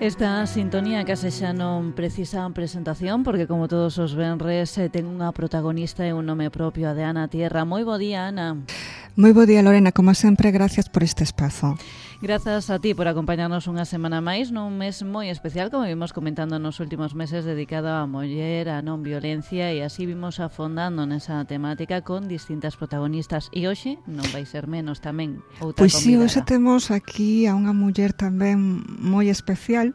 Esta sintonía case xa non precisa presentación porque como todos os venres ten unha protagonista e un nome propio, a de Ana Tierra. Moi bo día, Ana. Moi bo día, Lorena, como sempre, gracias por este espazo. Grazas a ti por acompañarnos unha semana máis nun mes moi especial, como vimos comentando nos últimos meses, dedicado á muller, a non violencia, e así vimos afondando nesa temática con distintas protagonistas. E hoxe non vai ser menos tamén outra pois convidada. Si, hoxe temos aquí a unha muller tamén moi especial,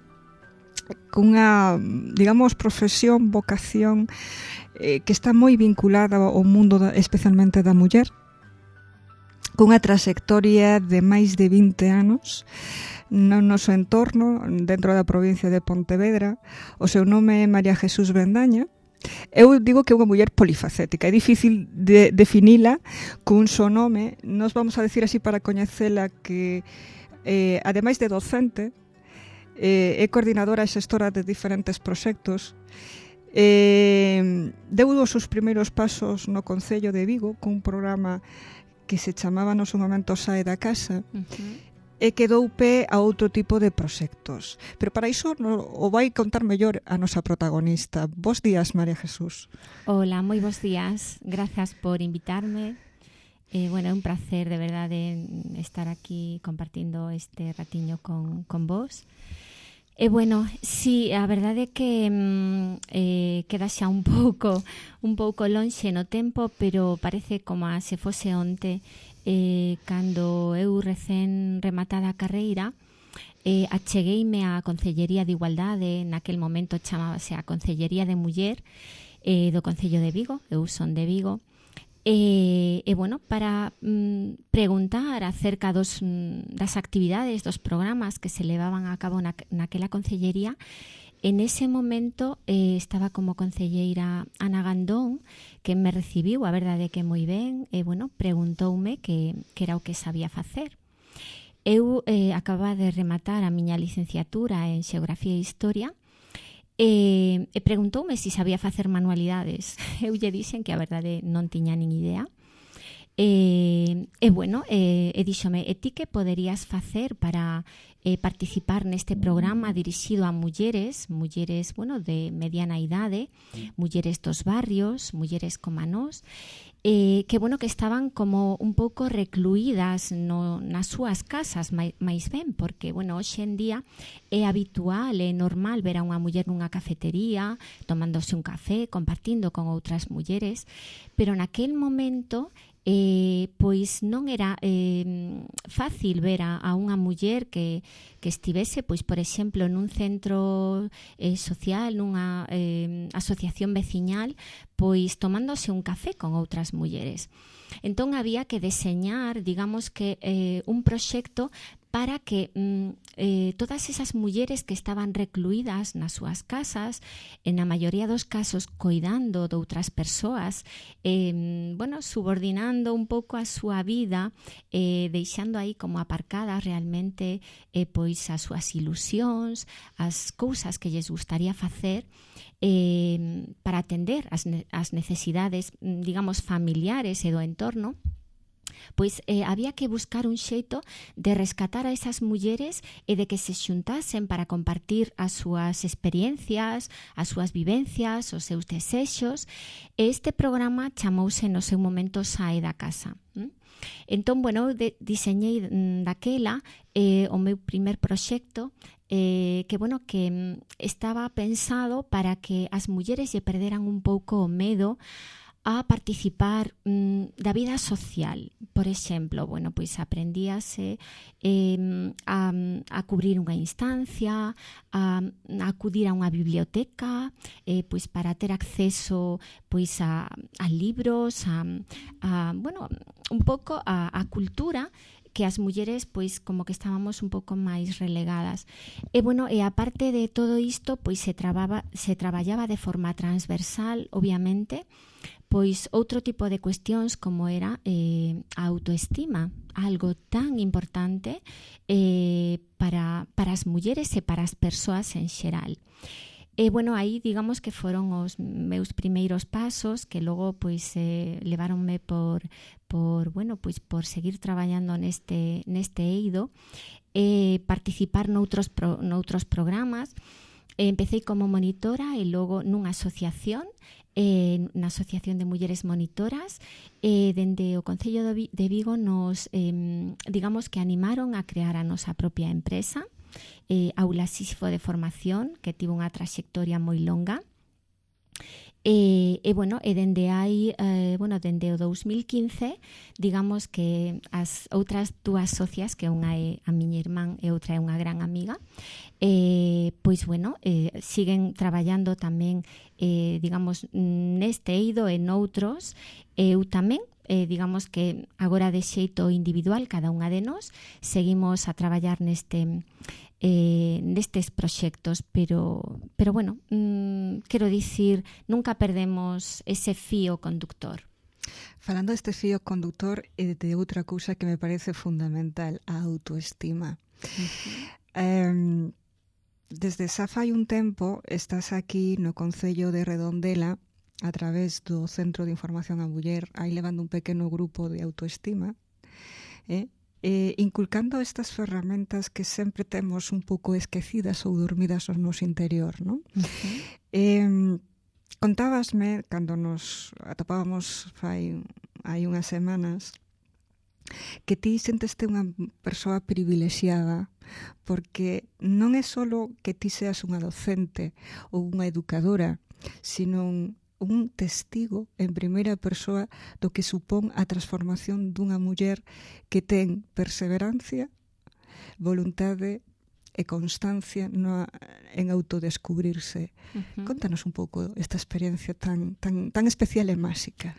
cunha, digamos, profesión, vocación que está moi vinculada ao mundo especialmente da muller, cunha trayectoria de máis de 20 anos no noso entorno, dentro da provincia de Pontevedra. O seu nome é María Jesús Bendaña. Eu digo que é unha muller polifacética, é difícil de definila cun só nome. Nos vamos a decir así para coñecela que, ademais de docente, é coordinadora e xestora de diferentes proxectos. Deu os seus primeiros pasos no Concello de Vigo cun programa que se chamaba no seu momento Sae da Casa, e que dou pé a outro tipo de proxectos. Pero para iso o vai contar mellor a nosa protagonista. Bos días, María Jesús. Hola, moi bos días. Grazas por invitarme. Bueno, é un placer, de verdade, estar aquí compartindo este ratiño con vos. E bueno, sí, a verdade é que queda xa un pouco lonxe no tempo, pero parece como se fose onte, cando eu recén rematada a carreira, achegueime á Concellería de Igualdade, naquel momento chamábase a Concellería de Muller, do Concello de Vigo, eu son de Vigo, e bueno, para preguntar acerca das actividades, dos programas que se levaban a cabo naquela concellería. En ese momento estaba como concelleira Ana Gandón, que me recibiu, a verdade que moi ben, e bueno, preguntoume que era o que sabía facer. Eu acababa de rematar a miña licenciatura en Xeografía e Historia, e preguntoume se sabía facer manualidades. Eu lle dixen que a verdade non tiña nin idea. E bueno, díxome, e ti que poderías facer para participar neste programa dirixido a mulleres, bueno, de mediana idade, mulleres dos barrios, mulleres como nós, que bueno, que estaban como un pouco recluídas nas súas casas, máis ben, porque bueno, hoxe en día é habitual, é normal ver a unha muller nunha cafetería tomándose un café, compartindo con outras mulleres, pero naquel momento pois non era fácil ver a unha muller que estivese, pois por exemplo, nun centro social, nunha asociación veciñal, pois tomándose un café con outras mulleres. Entón había que deseñar, digamos que un proxecto para que todas esas mulleres que estaban recluídas nas súas casas, na maioría dos casos coidando de outras persoas, bueno, subordinando un pouco a súa vida, deixando aí como aparcadas realmente pois as súas ilusións, as cousas que lles gustaría facer, para atender as necesidades, digamos, familiares e do entorno, pois había que buscar un xeito de rescatar a esas mulleres e de que se xuntasen para compartir as súas experiencias, as súas vivencias, os seus desexos. E este programa chamouse no seu momento Sae da Casa. Entón, bueno, diseñei daquela o meu primer proxecto, que bueno, que estaba pensado para que as mulleres lle perderan un pouco o medo a participar da vida social. Por exemplo, bueno, pois aprendíase a cubrir unha instancia, a acudir a unha biblioteca, pois para ter acceso pois a libros, bueno, un pouco a cultura, que as mulleres pois como que estábamos un pouco máis relegadas. E bueno, e aparte de todo isto, pois se traballaba de forma transversal, obviamente, pois outro tipo de cuestións como era a autoestima, algo tan importante para as mulleres e para as persoas en xeral. E, bueno, aí digamos que foron os meus primeiros pasos que logo pois leváronme por seguir traballando neste eido e participar noutros programas. Empecé como monitora e logo nunha asociación, na Asociación de Mulleres Monitoras, dende o Concello de Vigo nos, digamos que animaron a crear a nosa propia empresa, Aula Sísifo de Formación, que tivo unha traxectoria moi longa. E dende aí, dende o 2015, digamos que as outras dúas socias, que unha é a miña irmán e outra é unha gran amiga, siguen traballando tamén, digamos, neste eido e noutros. Eu tamén, digamos que agora de xeito individual, cada unha de nós, seguimos a traballar nestes proxectos, pero quero dicir, nunca perdemos ese fío conductor. Falando deste fío conductor e de outra cousa que me parece fundamental, a autoestima. Desde xa fai un tempo estás aquí no Concello de Redondela a través do Centro de Información á Muller, aí levando un pequeno grupo de autoestima, inculcando estas ferramentas que sempre temos un pouco esquecidas ou dormidas no noso interior, non? Contábasme, cando nos atopábamos hai unhas semanas, que ti senteste unha persoa privilexiada porque non é só que ti seas unha docente ou unha educadora, sino un testigo en primeira persoa do que supón a transformación dunha muller que ten perseverancia, voluntade e constancia en autodescubrirse. Contanos un pouco esta experiencia tan especial e máxica.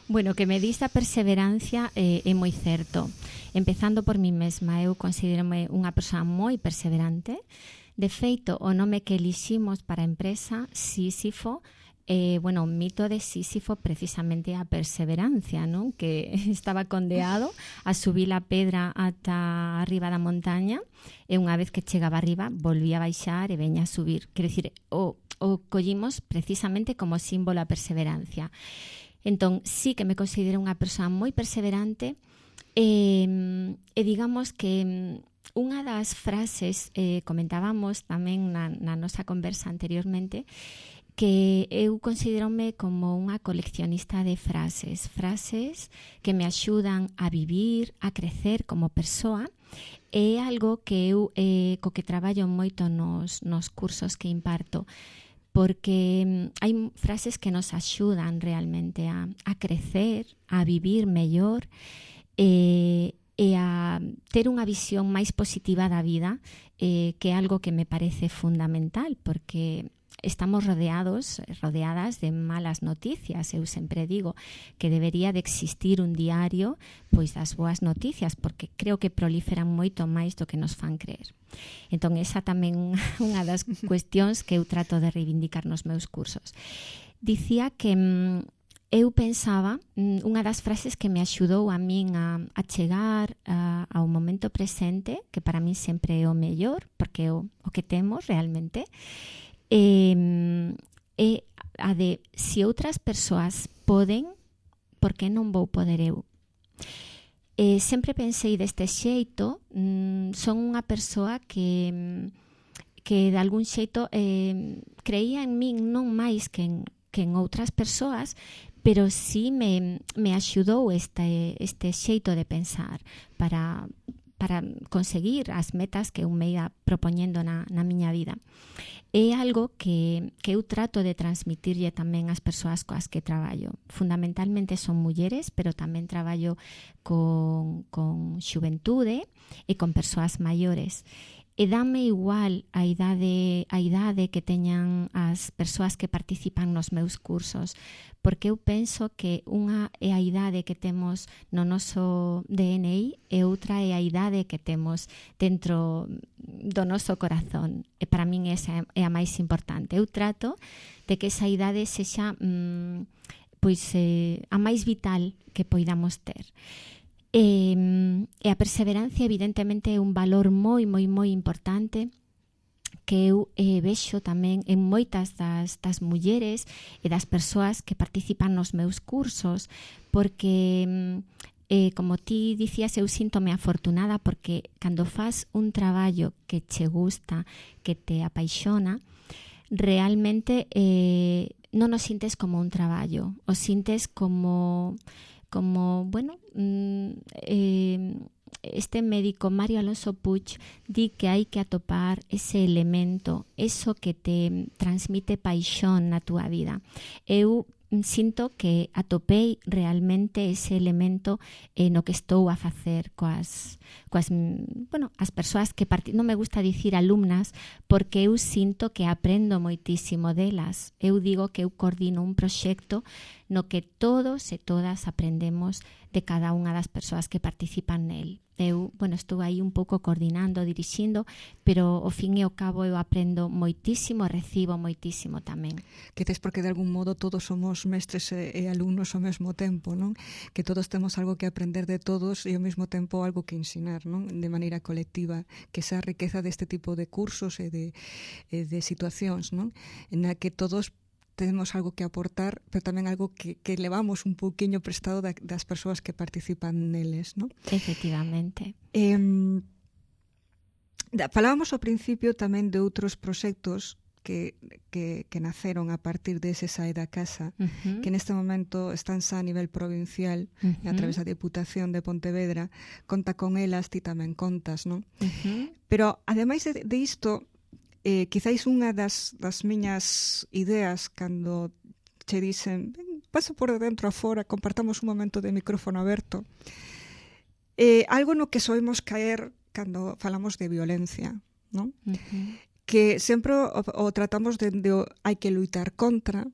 Bueno, que me dis a perseverancia é moi certo. Empezando por mí mesma, eu considero-me unha persoa moi perseverante. De feito, o nome que eliximos para a empresa, Sísifo, o mito de Sísifo precisamente a perseverancia, non? Que estaba condeado a subir a pedra ata arriba da montaña e unha vez que chegaba arriba volvía a baixar e veña a subir. Quero dicir, o collimos precisamente como símbolo a perseverancia. Entón, sí que me considero unha persoa moi perseverante e digamos que unha das frases, comentábamos tamén na nosa conversa anteriormente, que eu considero-me como unha coleccionista de frases que me axudan a vivir, a crecer como persoa. É algo que eu co que traballo moito nos cursos que imparto, porque hai frases que nos axudan realmente a crecer, a vivir mellor e a ter unha visión máis positiva da vida, que é algo que me parece fundamental, porque estamos rodeadas de malas noticias. Eu sempre digo que debería de existir un diario pois das boas noticias, porque creo que proliferan moito máis do que nos fan creer. Entón, esa tamén unha das cuestións que eu trato de reivindicar nos meus cursos. Dicía que eu pensaba, unha das frases que me axudou a min a chegar ao momento presente, que para min sempre é o mellor, porque é o que temos realmente, é a de se outras persoas poden, por que non vou poder eu? Sempre pensei deste xeito, son unha persoa que de algún xeito creía en min non máis que en outras persoas, pero sí me axudou este xeito de pensar para conseguir as metas que eu me ia propoñendo na miña vida. É algo que eu trato de transmitirlle tamén ás persoas coas que traballo. Fundamentalmente son mulleres, pero tamén traballo con xuventude e con persoas maiores. E dame igual a idade que teñan as persoas que participan nos meus cursos, porque eu penso que unha é a idade que temos no noso DNI e outra é a idade que temos dentro do noso corazón. E para min esa é a máis importante. Eu trato de que esa idade sexa a máis vital que poidamos ter. E a perseverancia evidentemente é un valor moi, moi, moi importante que eu vexo tamén en moitas das mulleres e das persoas que participan nos meus cursos, porque como ti dicías, eu síntome afortunada porque cando faz un traballo que che gusta, que te apaixona, realmente non o sintes como un traballo, o sintes como bueno, este médico Mario Alonso Puig di que hai que atopar ese elemento, eso que te transmite paixón na túa vida. Eu sinto que atopei realmente ese elemento no que estou a facer coas as persoas que non me gusta dicir alumnas, porque eu sinto que aprendo moitísimo delas. Eu digo que eu coordino un proxecto no que todos e todas aprendemos de cada unha das persoas que participan nel. Eu, estou aí un pouco coordinando, dirixindo, pero ao fin e ao cabo eu aprendo moitísimo, recibo moitísimo tamén. Quizás porque de algún modo todos somos mestres e alumnos ao mesmo tempo, non? Que todos temos algo que aprender de todos e ao mesmo tempo algo que ensinar, non? De maneira colectiva, que esa riqueza deste tipo de cursos e de situacións, non? En a que todos temos algo que aportar, pero tamén algo que levamos un pouquiño prestado das persoas que participan neles, non? Efectivamente. Falábamos ao principio tamén de outros proxectos que naceron a partir dese Sae da Casa, que neste momento están xa a nivel provincial, a través da Deputación de Pontevedra, conta con elas, ti tamén contas, non? Pero, ademais de isto, quizáis unha das miñas ideas cando che dicen pasa por dentro a fora, compartamos un momento de micrófono aberto, algo no que soemos caer cando falamos de violencia, non? Que sempre o tratamos de hai que luitar contra,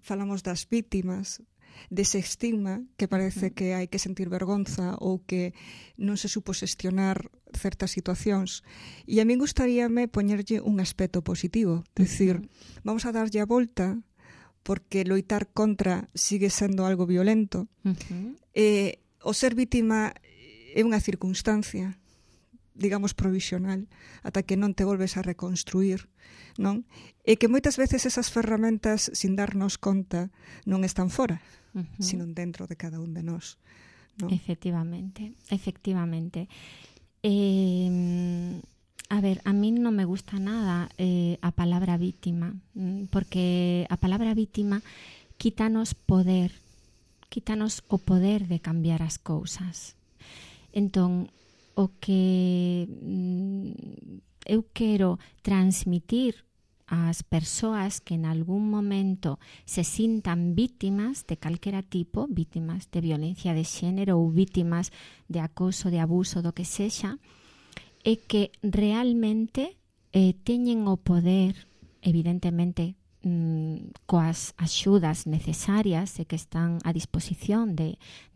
falamos das vítimas, dese estigma que parece que hai que sentir vergonza ou que non se supo xestionar certas situacións. E a min gustaríame poñerlle un aspecto positivo, decir, vamos a darlle a volta porque loitar contra sigue sendo algo violento. O ser vítima é unha circunstancia, digamos, provisional, ata que non te volves a reconstruir, non? E que moitas veces esas ferramentas, sin darnos conta, non están fora, sino dentro de cada un de nós, non? Efectivamente. A ver, a mí non me gusta nada a palabra vítima, porque a palabra vítima quítanos o poder de cambiar as cousas. Entón, o que eu quero transmitir ás persoas que en algún momento se sintan vítimas de calquera tipo, vítimas de violencia de xénero ou vítimas de acoso, de abuso, do que sexa, é que realmente teñen o poder, evidentemente, coas axudas necesarias e que están a disposición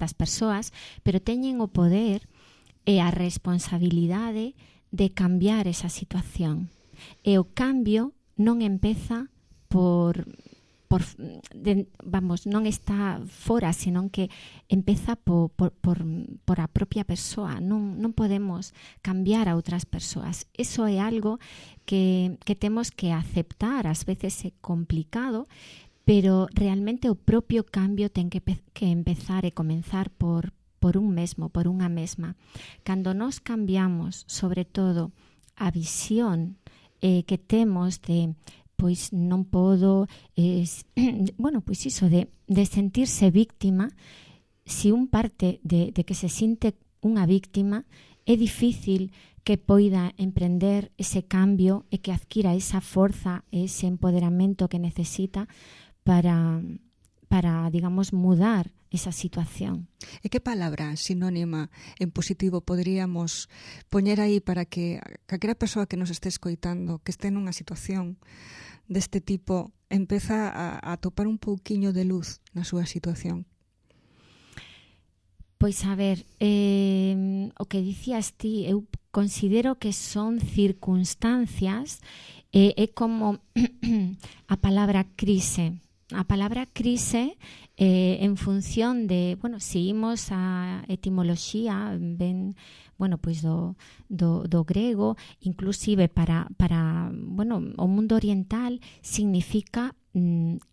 das persoas, pero teñen o poder e a responsabilidade de cambiar esa situación. E o cambio non empeza non está fora, senón que empeza por a propia persoa. Non podemos cambiar a outras persoas. Eso é algo que temos que aceptar. Ás veces é complicado, pero realmente o propio cambio ten que empezar e comenzar por un mesmo, por unha mesma. Cando nos cambiamos, sobre todo, a visión que temos de pois non podo pois iso de sentirse víctima, se un parte de que se sinte unha víctima, é difícil que poida emprender ese cambio e que adquira esa forza, ese empoderamento que necesita para digamos, mudar esa situación. E que palabra sinónima en positivo poderíamos poñer aí para que calquera persoa que nos este escoitando, que este nunha situación deste tipo, empeza a topar un pouquiño de luz na súa situación? Pois a ver, o que dicías ti, eu considero que son circunstancias, é como a palabra crise. a palabra crise en función de, bueno, seguimos a etimoloxía, ben, bueno, pois do grego, inclusive para bueno, o mundo oriental significa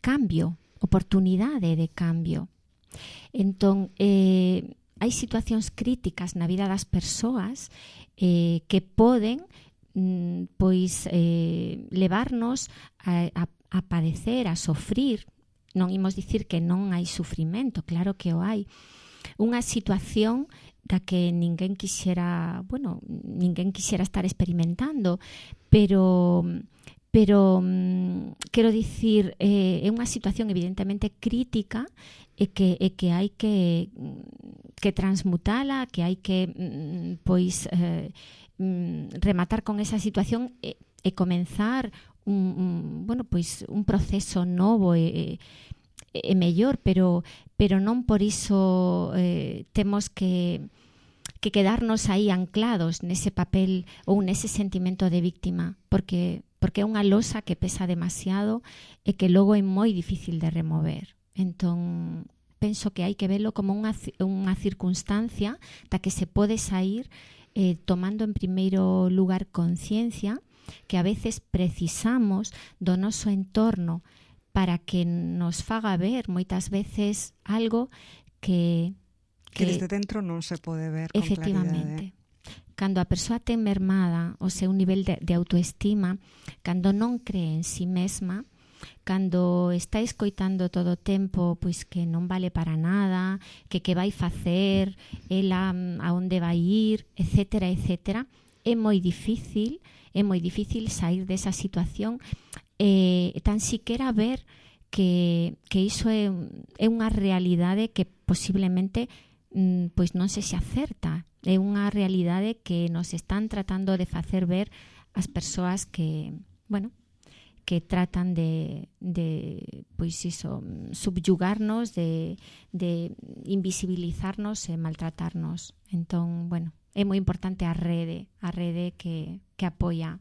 cambio, oportunidade de cambio. Entón, hai situacións críticas na vida das persoas que poden pois levarnos a padecer, a sofrir. Non imos dicir que non hai sufrimento, claro que o hai. Unha situación da que ninguén quixera estar experimentando, pero quero dicir, é unha situación evidentemente crítica e que hai que transmutala, que hai que rematar con esa situación e comenzar un proceso novo e mellor, pero non por iso temos que quedarnos aí anclados nese papel ou nese sentimento de víctima, porque é unha losa que pesa demasiado e que logo é moi difícil de remover. Entón, penso que hai que velo como unha circunstancia da que se pode sair tomando en primeiro lugar conciencia que a veces precisamos do noso entorno para que nos faga ver moitas veces algo que desde dentro non se pode ver con efectivamente. claridade. Cando a persoa ten mermada o seu nivel de autoestima, cando non cree en si mesma, cando está escoitando todo o tempo pois que non vale para nada, que vai facer, ela a onde vai ir, etcétera, etcétera, é moi difícil sair desa situación tan siquera ver que iso é unha realidade que posiblemente pois non se acerta. É unha realidade que nos están tratando de facer ver as persoas que, bueno, que tratan de pois iso, subyugarnos, de invisibilizarnos e maltratarnos. Entón, bueno, é moi importante a rede que apoia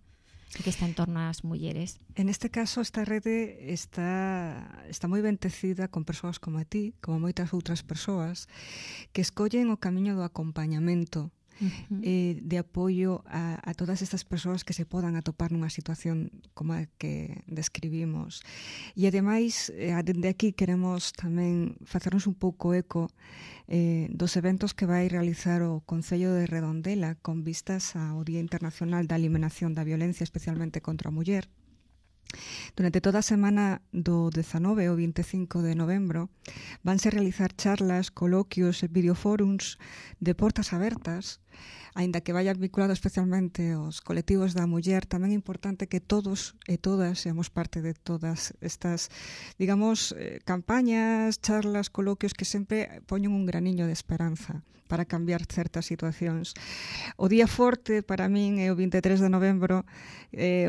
e que está en torno ás mulleres. En este caso, esta rede está moi bendecida con persoas como a ti, como moitas outras persoas, que escollen o camiño do acompañamento, de apoio a todas estas persoas que se podan atopar nunha situación como a que describimos. E ademais, dende aquí queremos tamén facernos un pouco eco dos eventos que vai realizar o Concello de Redondela con vistas ao Día Internacional da Eliminación da Violencia, especialmente contra a muller. Durante toda a semana do 19 ao 25 de novembro vanse realizar charlas, coloquios e videofórums de portas abertas, aínda que vayan vinculados especialmente aos colectivos da muller. Tamén é importante que todos e todas seamos parte de todas estas, digamos, campañas, charlas, coloquios que sempre poñen un graniño de esperanza para cambiar certas situacións. O día forte para min é o 23 de novembro,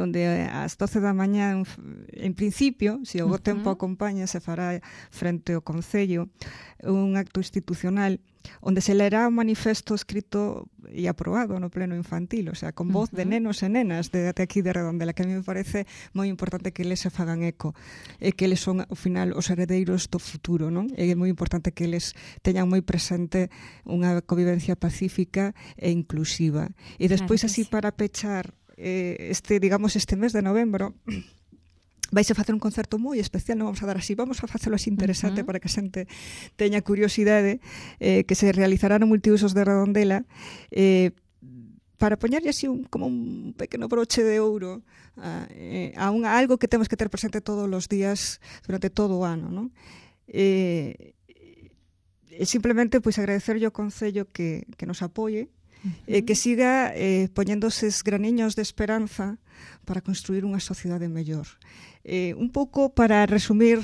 onde ás 12 da mañá, en principio, se o tempo acompaña, se fará frente ao Concello un acto institucional onde se lerá un manifesto escrito e aprobado no pleno infantil, o sea, con voz de nenos e nenas de aquí de Redondela, que a mí me parece moi importante que eles se fagan eco, e que eles son, ao final, os heredeiros do futuro, non? É moi importante que eles teñan moi presente unha convivencia pacífica e inclusiva. E despois, claro, así, para pechar este mes de novembro, vais a facer un concerto moi especial, non vamos a dar así, vamos a facelo así interesante para que a xente teña curiosidade, que se realizará no Multiusos de Redondela, para poñerlle así como un pequeno broche de ouro a algo que temos que ter presente todos os días durante todo o ano, non? Simplemente pois agradecerlle ao Concello que nos apoie, que siga poñéndose graniños de esperanza para construir unha sociedade mellor. Un pouco para resumir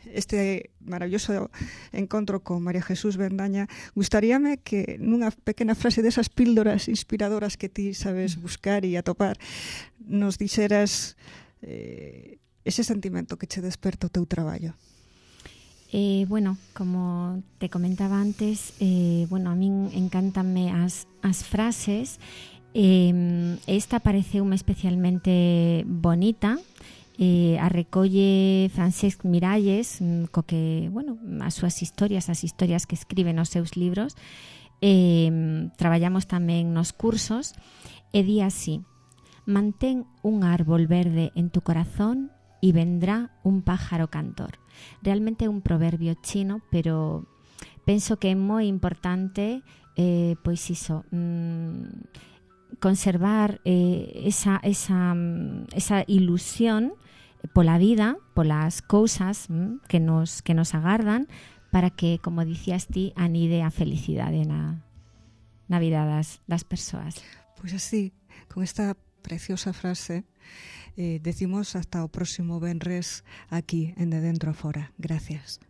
este maravilloso encontro con María Jesús Bendaña, gustaríame que nunha pequena frase desas píldoras inspiradoras que ti sabes buscar e atopar, nos dixeras ese sentimento que che desperta o teu traballo. Bueno, como te comentaba antes, a min encántanme as frases. Esta pareceume especialmente bonita a recolle Francesc Miralles, co que, bueno, as súas historias, as historias que escribe nos seus libros, traballamos tamén nos cursos, e di así: mantén un árbol verde en tu corazón y vendrá un pájaro cantor. Realmente é un proverbio chino, pero penso que é moi importante pois iso, conservar esa ilusión pola vida, polas cousas que nos agardan, para que, como dicías ti, anide a felicidade na vida das persoas. Pois así, con esta preciosa frase, decimos hasta o próximo venres aquí en De Dentro a Fora. Gracias.